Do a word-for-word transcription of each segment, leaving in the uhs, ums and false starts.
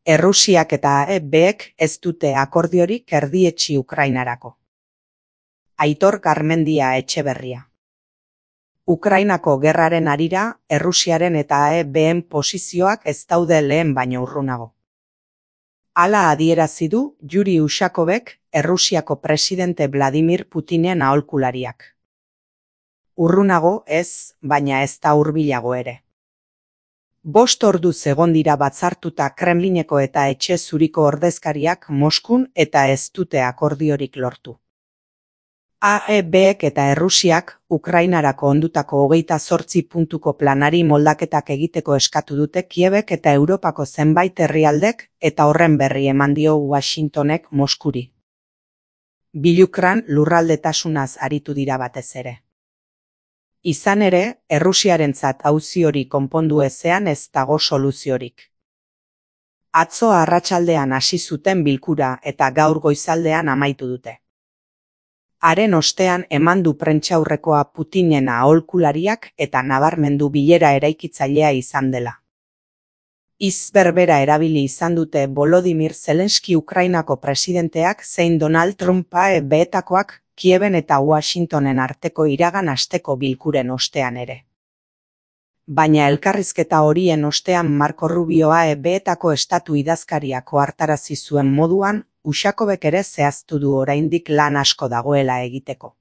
Errusiak eta A E Bek ez dute akordiorik erdietsi Ukrainarako. Aitor Garmendia Etxeberria. Ukrainako gerraren harira, Errusiaren eta A E Been posizioak ez daude lehen baino urrunago. Hala adierazi du Yuri Ushakovek, Errusiako presidente Vladimir Putinen aholkulariak. Urrunago ez, baina ez da hurbilago ere. Bost orduz egon dira batzartuta Kremlineko eta Etxe Zuriko ordezkariak Moskun eta ez dute akordiorik lortu. A E Bek eta Errusiak Ukrainarako ondutako hogeita zortzi puntuko planari moldaketak egiteko eskatu dute Kiebek eta Europako zenbait herrialdek eta horren berri eman dio Washingtonek Moskuri. Bilukran lurraldetasunaz aritu dira batez ere. Izan ere, Errusiarentzat auzi hori konpondu ezean ez dago soluziorik. Atzo arratsaldean hasi zuten bilkura eta gaur goizaldean amaitu dute. Haren ostean eman du prentsaurrekoa Putinen aholkulariak eta nabarmendu bilera eraikitzailea izan dela. Hitz berbera erabili izan dute Volodymyr Zelenski Ukrainako presidenteak zein Donald Trump A E Betakoak Kieben eta Washingtonen arteko iragan asteko bilkuren ostean ere. Baina elkarrizketa horien ostean Marco Rubio A E Betako estatu idazkariak ohartarazi zuen moduan, Ushakovek ere zehaztu du oraindik lan asko dagoela egiteko.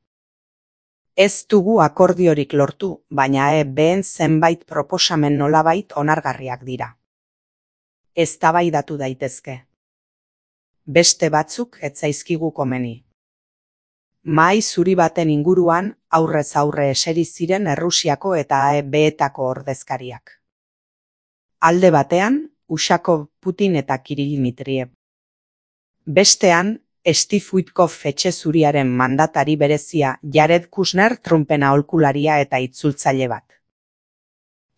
Ez dugu akordiorik lortu, baina A E Been zenbait proposamen nolabait onargarriak dira. Eztabaidatu daitezke. Beste batzuk ez zaizkigu komeni. Mahai zuri baten inguruan aurrez aurre eseri ziren Errusiako eta A E Betako ordezkariak. Alde batean, Ushakov, Putin eta Kirill Dmitriev. Bestean, Steve Witkoff Etxe Zuriaren mandatari berezia Jared Kushner Trumpen aholkularia eta itzultzaile bat.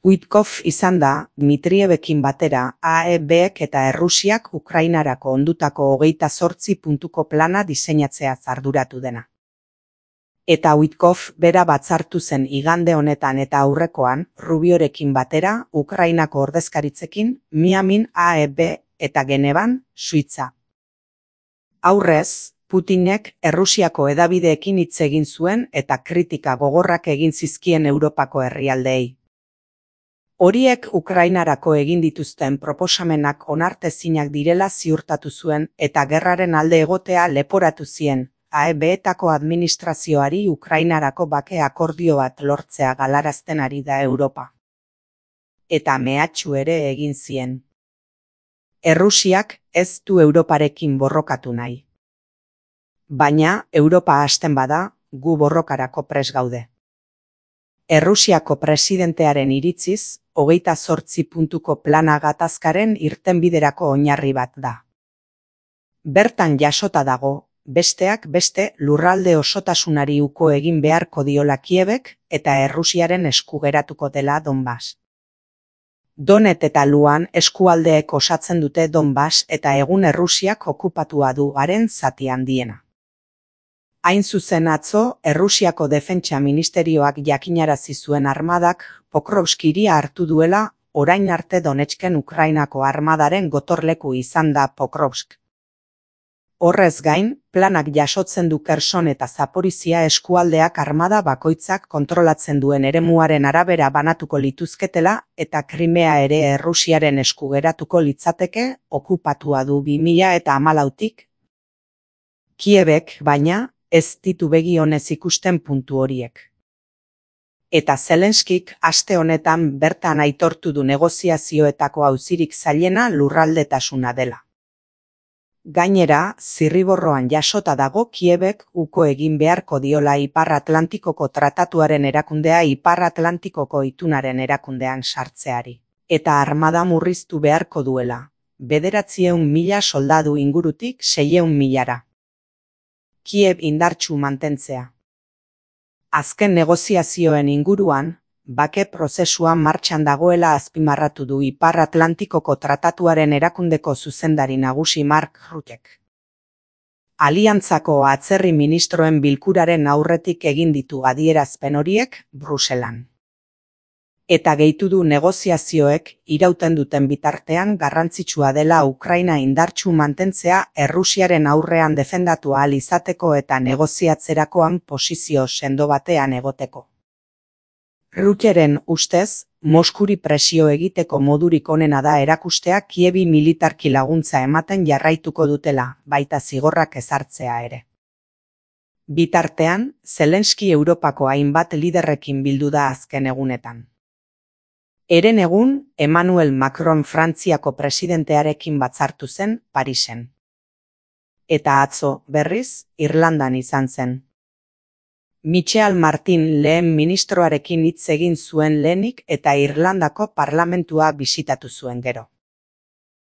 Witkoff izan da, Dmitrievekin batera A E Bek eta Errusiak Ukrainarako ondutako hogeita zortzi puntuko plana diseinatzeaz arduratu dena. Eta Witkoff bera batzartu zen igande honetan eta aurrekoan, Rubiorekin batera, Ukrainako ordezkaritzekin, Miamin A E B eta Genevan, Suitza. Aurrez, Putinek Errusiako hedabideekin hitz egin zuen eta kritika gogorrak egin zizkien Europako herrialdeei. Horiek Ukrainarako egin dituzten proposamenak onartezinak direla ziurtatu zuen eta gerraren alde egotea leporatu zien. A E Betako administrazioari Ukrainarako bake akordio bat lortzea galarazten ari da Europa. Eta mehatxu ere egin zien. Errusiak ez du Europarekin borrokatu nahi. Baina, Europa hasten bada, gu borrokarako prest gaude. Errusiako presidentearen iritziz, hogeita zortzi puntuko plana gatazkaren irtenbiderako oinarri bat da. Bertan jasota dago, besteak beste lurralde osotasunari uko egin beharko diola Kiebek eta Errusiaren esku geratuko dela Donbas. Donet eta Luan eskualdeek osatzen dute Donbas eta egun Errusiak okupatua du haren zati handiena. Hain zuzen atzo, Errusiako Defentsa Ministerioak jakinarazi zuen armadak Pokrovsk hiria hartu duela, orain arte Donetsken Ukrainako armadaren gotorleku izan da Pokrovsk. Horrez gain, planak jasotzen du Kherson eta Zaporizhia eskualdeak armada bakoitzak kontrolatzen duen eremuaren arabera banatuko lituzketela eta Krimea ere Errusiaren esku geratuko litzateke okupatua du bi mila hamalautik. Kiebek, baina, ez ditu begi onez ikusten puntu horiek. Eta Zelenskik aste honetan bertan aitortu du negoziazioetako auzirik zailena lurraldetasuna dela. Gainera, zirriborroan jasota dago Kiebek uko egin beharko diola Ipar Atlantikoko tratatuaren erakundea Ipar Atlantikoko itunaren erakundean sartzeari. Eta armada murriztu beharko duela, bederatziehun mila soldadu ingurutik seiehun milara. Kiev indartsu mantentzea. Azken negoziazioen inguruan, bake prozesua martxan dagoela azpimarratu du Ipar Atlantikoko tratatuaren erakundeko zuzendari nagusi Mark Rutek. Aliantzako atzerri ministroen bilkuraren aurretik egin ditu adierazpen horiek Bruselan. Eta gehitu du negoziazioek irauten duten bitartean garrantzitsua dela Ukraina indartsu mantentzea Errusiaren aurrean defendatu ahal izateko eta negoziatzerakoan posizio sendo batean egoteko. Rutteren ustez, Moskuri presio egiteko modurik onena da erakustea Kievi militarki laguntza ematen jarraituko dutela, baita zigorrak ezartzea ere. Bitartean, Zelenski Europako hainbat liderrekin bildu da azken egunetan. Heren egun, Emmanuel Macron Frantziako presidentearekin batzartu zen Parisen. Eta atzo, berriz, Irlandan izan zen. Michel Martin lehen ministroarekin hitz egin zuen lehenik eta Irlandako parlamentua bisitatu zuen gero.